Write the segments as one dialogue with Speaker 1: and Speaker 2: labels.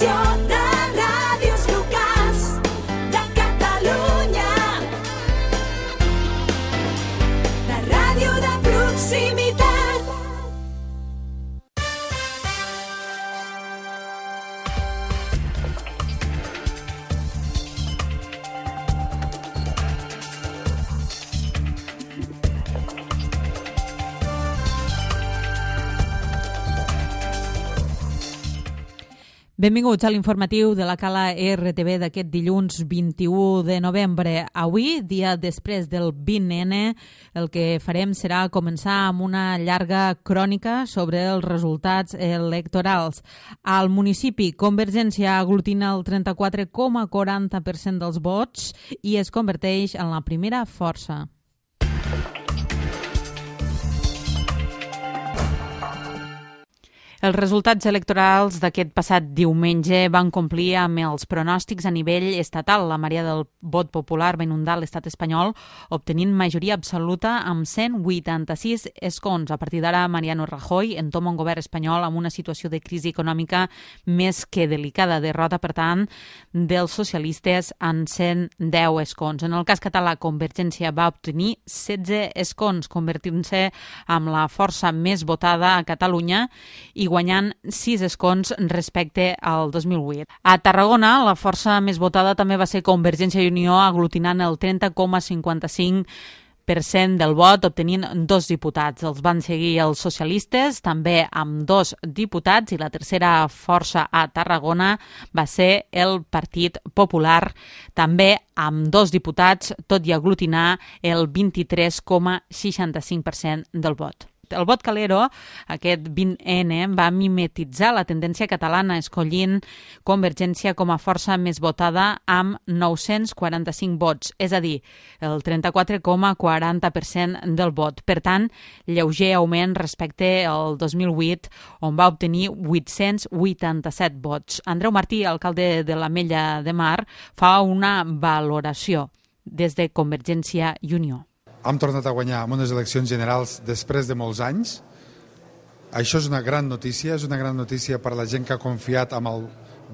Speaker 1: informació de ràdios locals de Catalunya. La ràdio de proximitat.
Speaker 2: Benvinguts a l'informatiu de la Cala RTV d'aquest dilluns 21 de novembre. Avui, dia després del 20N, el que farem serà començar amb una llarga crònica sobre els resultats electorals. Al municipi, Convergència aglutina el 34,40% dels vots i es converteix en la primera força. Els resultats electorals d'aquest passat diumenge van complir amb els pronòstics a nivell estatal. La marea del vot popular va inundar l'estat espanyol, obtenint majoria absoluta amb 186 escons. A partir d'ara, Mariano Rajoy entoma un govern espanyol amb una situació de crisi econòmica més que delicada. Derrota, per tant, dels socialistes en 110 escons. En el cas català, Convergència va obtenir 16 escons, convertint-se en la força més votada a Catalunya i guanyant 6 escons respecte al 2008. A Tarragona, la força més votada també va ser Convergència i Unió, aglutinant el 30,55% del vot, obtenint 2 diputats. Els van seguir els socialistes, també amb 2 diputats, i la tercera força a Tarragona va ser el Partit Popular, també amb 2 diputats, tot i aglutinar el 23,65% del vot. El vot calero, aquest 20N, va mimetitzar la tendència catalana, escollint Convergència com a força més votada amb 945 vots, és a dir, el 34,40% del vot. Per tant, lleuger augment respecte al 2008, on va obtenir 887 vots. Andreu Martí, alcalde de l'Ametlla de Mar, fa una valoració des de Convergència i Unió.
Speaker 3: Hem tornat a guanyar en unes eleccions generals després de molts anys. Això és una gran notícia, és una gran notícia per a la gent que ha confiat en el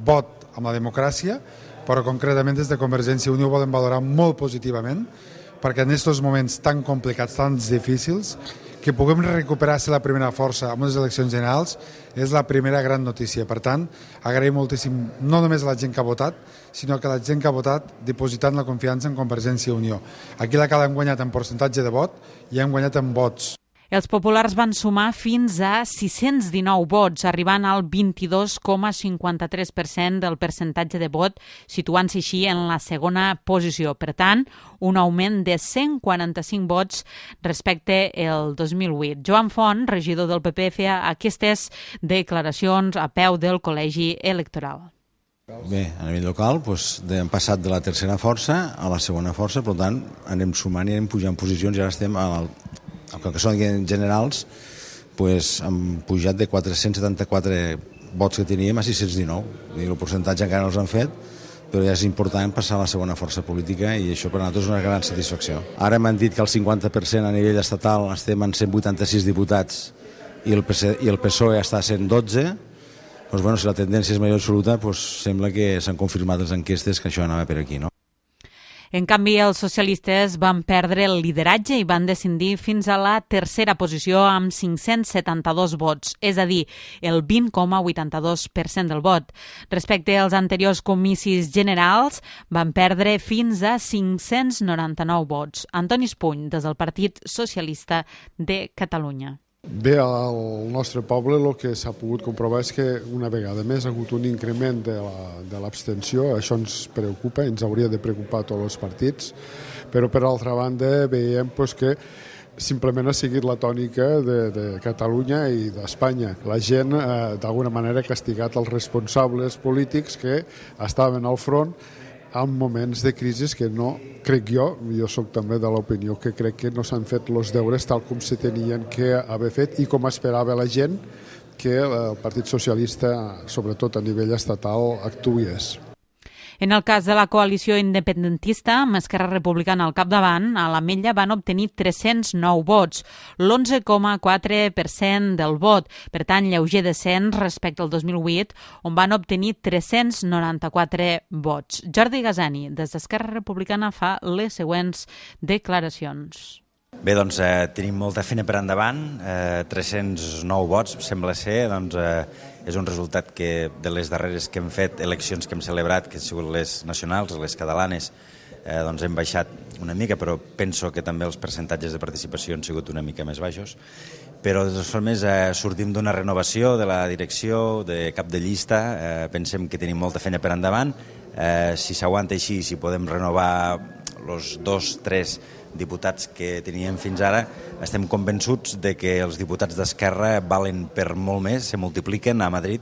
Speaker 3: vot, en la democràcia, però concretament des de Convergència i Unió ho volem valorar molt positivament, perquè en aquests moments tan complicats, tan difícils, que puguem recuperar ser la primera força en unes eleccions generals és la primera gran notícia. Per tant, agraïm moltíssim no només a la gent que ha votat, sinó que la gent que ha votat dipositant la confiança en Convergència i Unió. Aquí la Cala hem guanyat en percentatge de vot i hem guanyat en vots.
Speaker 2: Els populars van sumar fins a 619 vots, arribant al 22,53% del percentatge de vot, situant-se així en la segona posició. Per tant, un augment de 145 vots respecte al 2008. Joan Font, regidor del PP, feia aquestes declaracions a peu del col·legi electoral.
Speaker 4: Bé, a nivell local hem passat de la tercera força a la segona força, per tant anem sumant i anem pujant posicions i ara estem el que són generals, hem pujat de 474 vots que teníem a 619. El percentatge encara no els han fet, però ja és important passar a la segona força política i això per a nosaltres és una gran satisfacció. Ara m'han dit que el 50% a nivell estatal estem en 186 diputats i el PSOE està a 112. Si la tendència és majoria absoluta, sembla que s'han confirmat les enquestes que això anava per aquí, no?
Speaker 2: En canvi, els socialistes van perdre el lideratge i van descendir fins a la tercera posició amb 572 vots, és a dir, el 20,82% del vot. Respecte als anteriors comicis generals, van perdre fins a 599 vots. Antoni Espuny, des del Partit Socialista de Catalunya.
Speaker 5: Bé, al nostre poble el que s'ha pogut comprovar és que una vegada més ha hagut un increment de l'abstenció. Això ens preocupa, ens hauria de preocupar a tots els partits, però per altra banda veiem que simplement ha seguit la tònica de Catalunya i d'Espanya. La gent d'alguna manera ha castigat els responsables polítics que estaven al front en moments de crisi que no, crec jo soc també de l'opinió que crec que no s'han fet els deures tal com se tenien que haver fet i com esperava la gent que el Partit Socialista, sobretot a nivell estatal, actués.
Speaker 2: En el cas de la coalició independentista, amb Esquerra Republicana al capdavant, a l'Ametlla van obtenir 309 vots, l'11,4% del vot, per tant, lleuger descens respecte al 2008, on van obtenir 394 vots. Jordi Gasani, des d'Esquerra Republicana, fa les següents declaracions.
Speaker 6: Bé, doncs tenim molta feina per endavant, 309 vots, sembla ser, doncs és un resultat que de les darreres que hem fet, eleccions que hem celebrat, que han sigut les nacionals, les catalanes, doncs hem baixat una mica, però penso que també els percentatges de participació han sigut una mica més baixos. Però de totes formes sortim d'una renovació de la direcció, de cap de llista, pensem que tenim molta feina per endavant, si s'aguanta així, si podem renovar els 2-3 diputats que teníem fins ara, estem convençuts de que els diputats d'Esquerra valen per molt més, se multipliquen a Madrid.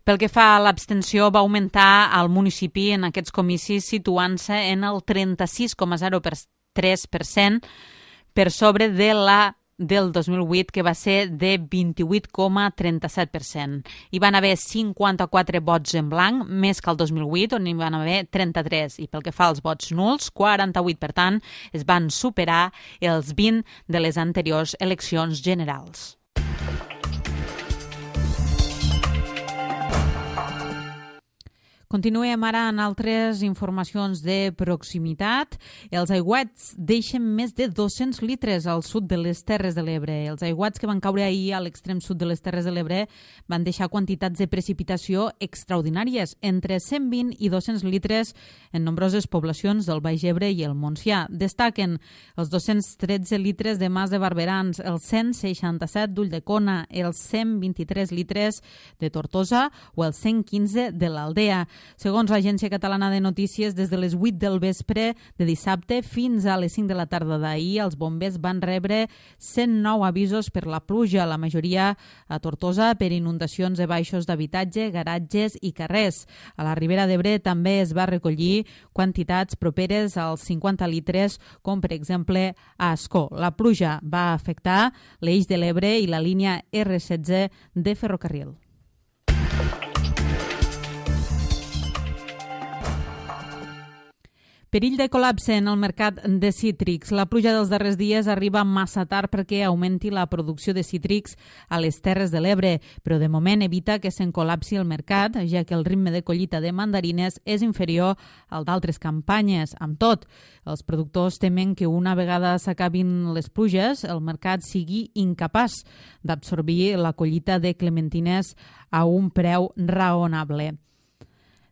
Speaker 2: Pel que fa a l'abstenció, va augmentar al municipi en aquests comicis situant-se en el 36,03% per sobre de la del 2008, que va ser de 28,37%. Hi van haver 54 vots en blanc, més que el 2008, on hi van haver 33. I pel que fa als vots nuls, 48, per tant, es van superar els 20 de les anteriors eleccions generals. Continuem ara en altres informacions de proximitat. Els aiguats deixen més de 200 litres al sud de les Terres de l'Ebre. Els aiguats que van caure ahir a l'extrem sud de les Terres de l'Ebre van deixar quantitats de precipitació extraordinàries, entre 120 i 200 litres en nombroses poblacions del Baix Ebre i el Montsià. Destaquen els 213 litres de Mas de Barberans, els 167 d'Ulldecona, els 123 litres de Tortosa o els 115 de l'Aldea. Segons l'Agència Catalana de Notícies, des de les 8 del vespre de dissabte fins a les 5 de la tarda d'ahir, els bombers van rebre 109 avisos per la pluja, la majoria a Tortosa per inundacions de baixos d'habitatge, garatges i carrers. A la Ribera d'Ebre també es va recollir quantitats properes als 50 litres, com per exemple a Ascó. La pluja va afectar l'Eix de l'Ebre i la línia R16 de ferrocarril. Perill de col·lapse en el mercat de cítrics. La pluja dels darrers dies arriba massa tard perquè augmenti la producció de cítrics a les Terres de l'Ebre, però de moment evita que se'n col·lapsi el mercat, ja que el ritme de collita de mandarines és inferior al d'altres campanyes. Amb tot, els productors temen que una vegada s'acabin les pluges, el mercat sigui incapaç d'absorbir la collita de clementines a un preu raonable.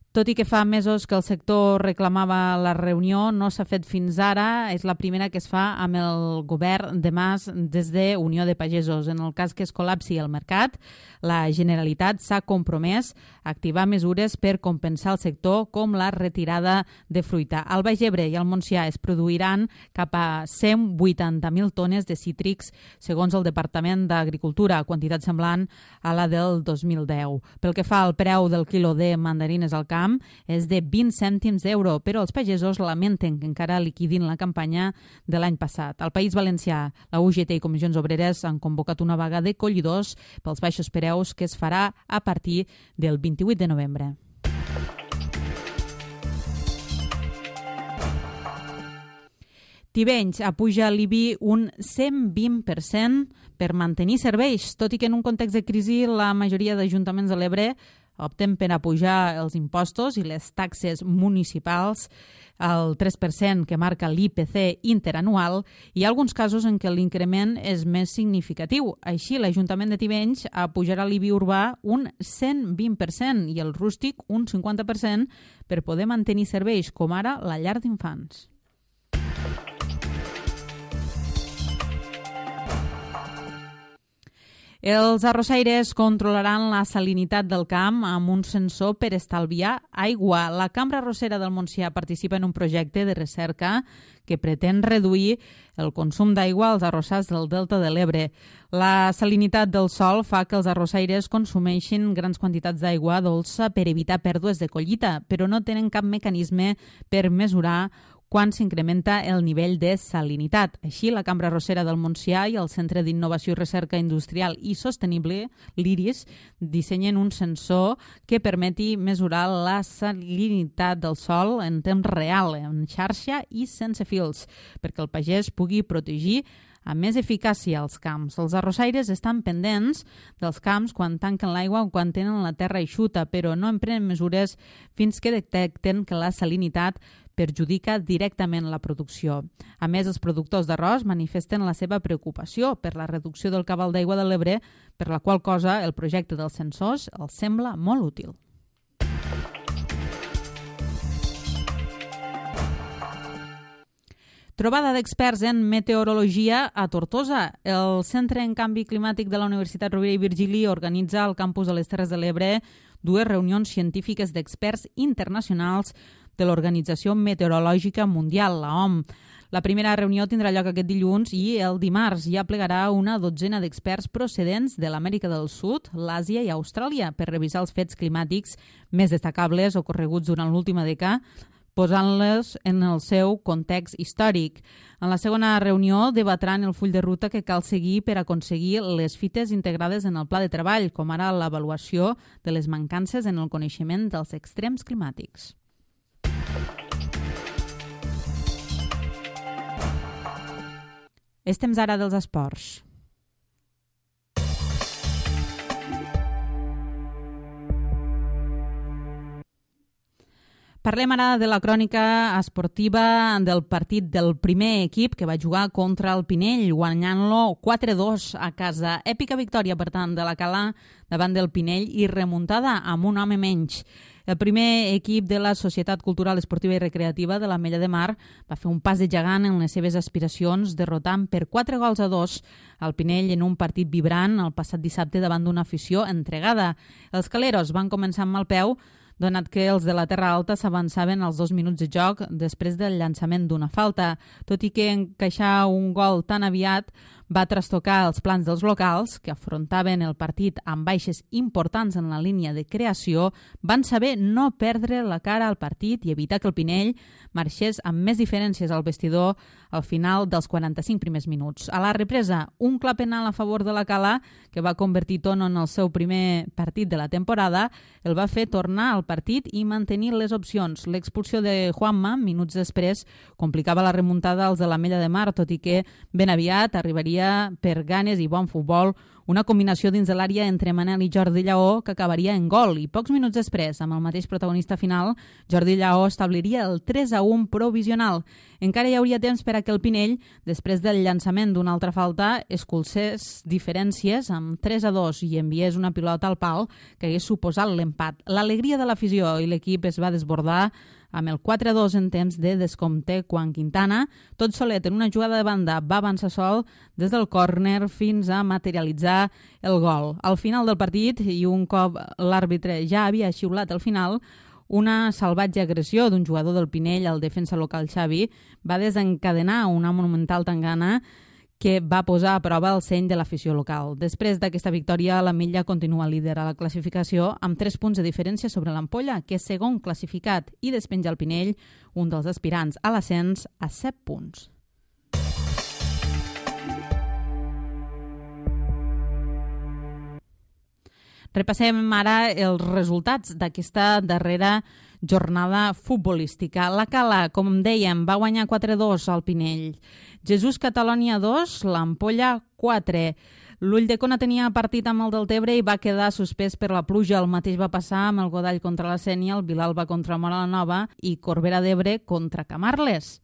Speaker 2: Tot i que fa mesos que el sector reclamava la reunió, no s'ha fet fins ara. És la primera que es fa amb el govern de Mas des de Unió de Pagesos. En el cas que es col·lapsi el mercat, la Generalitat s'ha compromès a activar mesures per compensar el sector, com la retirada de fruita. Al Baix Ebre i al Montsià es produiran cap a 180.000 tones de cítrics, segons el Departament d'Agricultura, quantitat semblant a la del 2010. Pel que fa al preu del quilo de mandarines al camp, és de 20 cèntims d'euro, però els pagesos lamenten que encara liquidin la campanya de l'any passat. Al País Valencià, la UGT i Comissions Obreres han convocat una vaga de collidors pels baixos preus que es farà a partir del 28 de novembre. Tivenys apuja l'IBI un 120% per mantenir serveis, tot i que en un context de crisi la majoria d'ajuntaments de l'Ebre opten per apujar els impostos i les taxes municipals al 3% que marca l'IPC interanual. Hi ha alguns casos en què l'increment és més significatiu. Així, l'Ajuntament de Tivenys apujarà l'IBI urbà un 120% i el rústic un 50% per poder mantenir serveis, com ara la llar d'infants. Els arrossaires controlaran la salinitat del camp amb un sensor per estalviar aigua. La Cambra Arrossera del Montsià participa en un projecte de recerca que pretén reduir el consum d'aigua als arrossars del Delta de l'Ebre. La salinitat del sòl fa que els arrossaires consumeixin grans quantitats d'aigua dolça per evitar pèrdues de collita, però no tenen cap mecanisme per mesurar quan s'incrementa el nivell de salinitat. Així, la Cambra Arrossera del Montsià i el Centre d'Innovació i Recerca Industrial i Sostenible, l'IRIS, dissenyen un sensor que permeti mesurar la salinitat del sòl en temps real, en xarxa i sense fils, perquè el pagès pugui protegir amb més eficàcia els camps. Els arrossaires estan pendents dels camps quan tanquen l'aigua o quan tenen la terra eixuta, però no en prenen mesures fins que detecten que la salinitat perjudica directament la producció. A més, els productors d'arròs manifesten la seva preocupació per la reducció del cabal d'aigua de l'Ebre, per la qual cosa el projecte dels sensors els sembla molt útil. Trobada d'experts en meteorologia a Tortosa. El Centre en Canvi Climàtic de la Universitat Rovira i Virgili organitza al campus de les Terres de l'Ebre dues reunions científiques d'experts internacionals de l'Organització Meteorològica Mundial, la OMS. La primera reunió tindrà lloc aquest dilluns i el dimarts ja plegarà una dotzena d'experts procedents de l'Amèrica del Sud, l'Àsia i Austràlia per revisar els fets climàtics més destacables ocorreguts durant l'última dècada, posant-les en el seu context històric. En la segona reunió debatran el full de ruta que cal seguir per aconseguir les fites integrades en el pla de treball, com ara l'avaluació de les mancances en el coneixement dels extrems climàtics. És temps ara dels esports. Parlem ara de la crònica esportiva del partit del primer equip que va jugar contra el Pinell, guanyant-lo 4-2 a casa. Èpica victòria, per tant, de la Cala davant del Pinell i remuntada amb un home menys. El primer equip de la Societat Cultural Esportiva i Recreativa de l'Ametlla de Mar va fer un pas de gegant en les seves aspiracions, derrotant per 4-2 al Pinell en un partit vibrant el passat dissabte davant d'una afició entregada. Els caleros van començar amb mal peu, donat que els de la Terra Alta s'avançaven als 2 minuts de joc després del llançament d'una falta. Tot i que encaixar un gol tan aviat va trastocar els plans dels locals, que afrontaven el partit amb baixes importants en la línia de creació, van saber no perdre la cara al partit i evitar que el Pinell marxés amb més diferències al vestidor al final dels 45 primers minuts. A la represa, un clar penal a favor de la Cala, que va convertir Tono en el seu primer partit de la temporada, el va fer tornar al partit i mantenir les opcions. L'expulsió de Juanma, minuts després, complicava la remuntada als de l'Ametlla de Mar, tot i que ben aviat arribaria per ganes i bon futbol una combinació dins de l'àrea entre Manel i Jordi Lleó que acabaria en gol i pocs minuts després, amb el mateix protagonista final, Jordi Lleó establiria el 3-1 provisional. Encara hi hauria temps per a que el Pinell, després del llançament d'una altra falta, escurcés diferències amb 3-2 i enviés una pilota al pal que hagués suposat l'empat. L'alegria de l'afició i l'equip es va desbordar amb el 4-2 en temps de descompte quan Quintana, tot solet en una jugada de banda, va avançar sol des del córner fins a materialitzar el gol. Al final del partit, i un cop l'àrbitre ja havia xiulat el final, una salvatge agressió d'un jugador del Pinell al defensa local Xavi va desencadenar una monumental tangana que va posar a prova el seny de l'afició local. Després d'aquesta victòria, l'Ametlla continua líder a la classificació amb 3 punts de diferència sobre l'Ampolla, que és segon classificat, i despenja el Pinell, un dels aspirants a l'ascens, a 7 punts. Repassem ara els resultats d'aquesta darrera jornada futbolística. La Cala, com dèiem, va guanyar 4-2 al Pinell. Jesús Catalònia 2, l'Ampolla 4. L'Ulldecona tenia partit amb el Deltebre i va quedar suspès per la pluja. El mateix va passar amb el Godall contra la Sénia, el Vilalba contra Móra la Nova i Corbera d'Ebre contra Camarles.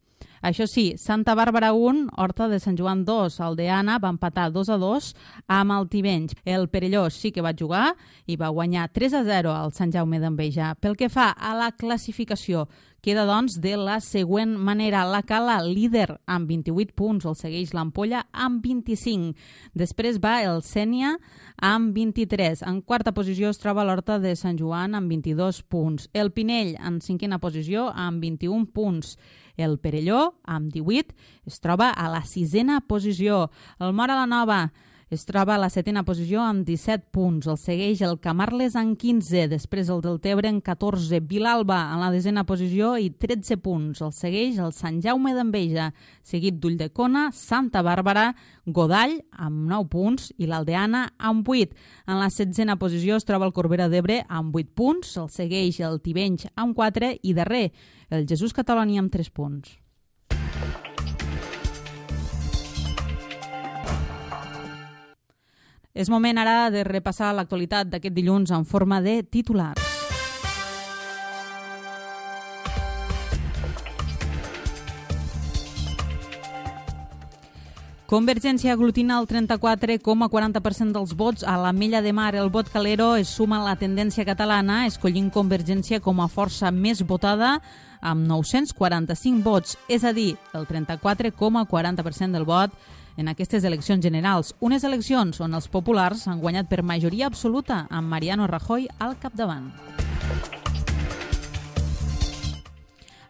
Speaker 2: Això sí, Santa Bàrbara 1, Horta de Sant Joan 2, Aldeana va empatar 2-2 amb el Tivenys. El Perellós sí que va jugar i va guanyar 3-0 al Sant Jaume d'Enveja. Pel que fa a la classificació, queda doncs de la següent manera. La Cala, líder amb 28 punts, el segueix l'Ampolla amb 25. Després va el Sénia amb 23. En quarta posició es troba l'Horta de Sant Joan amb 22 punts. El Pinell en cinquena posició amb 21 punts. El Perelló, amb 18, es troba a la 6a posició. El Móra la Nova Es troba a la 7a posició amb 17 punts. El segueix el Camarles amb 15, després el Deltebre amb 14. Vilalba en la 10a posició i 13 punts. El segueix el Sant Jaume d'Enveja, seguit d'Ulldecona, Santa Bàrbara, Godall amb 9 punts i l'Aldeana amb 8. En la 16a posició es troba el Corbera d'Ebre amb 8 punts. El segueix el Tivenys amb 4 i darrer el Jesús Cataloni amb 3 punts. És moment ara de repassar l'actualitat d'aquest dilluns en forma de titulars. Convergència aglutina el 34,40% dels vots a l'Ametlla de Mar. El vot Calero es suma a la tendència catalana, escollint Convergència com a força més votada amb 945 vots, és a dir, el 34,40% del vot en aquestes eleccions generals. Unes eleccions on els populars han guanyat per majoria absoluta amb Mariano Rajoy al capdavant.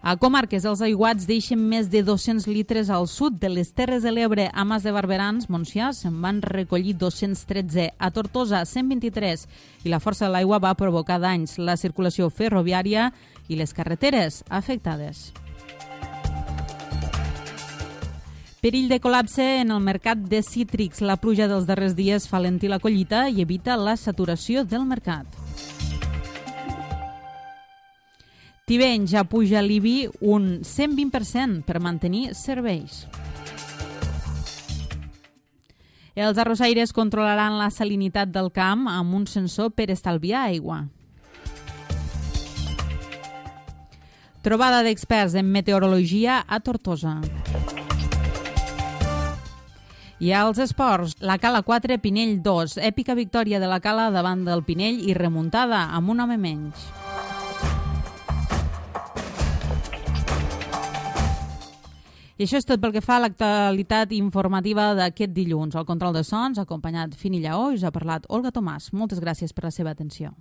Speaker 2: A Comarques, els aiguats deixen més de 200 litres al sud de les Terres de l'Ebre. A Mas de Barberans, Montsià, se'n van recollir 213. A Tortosa, 123. I la força de l'aigua va provocar danys. La circulació ferroviària i les carreteres afectades. Perill de col·lapse en el mercat de cítrics. La pluja dels darrers dies fa lentir la collita i evita la saturació del mercat. Tivenys ja puja l'IBI un 120% per mantenir serveis. Els arrossaires controlaran la salinitat del camp amb un sensor per estalviar aigua. Trobada d'experts en meteorologia a Tortosa. I als esports, la Cala 4, Pinell 2. Èpica victòria de la Cala davant del Pinell i remuntada amb un home menys. I això és tot pel que fa a l'actualitat informativa d'aquest dilluns. Al control de sons, acompanyat Fini Lleó, us ha parlat Olga Tomàs. Moltes gràcies per la seva atenció.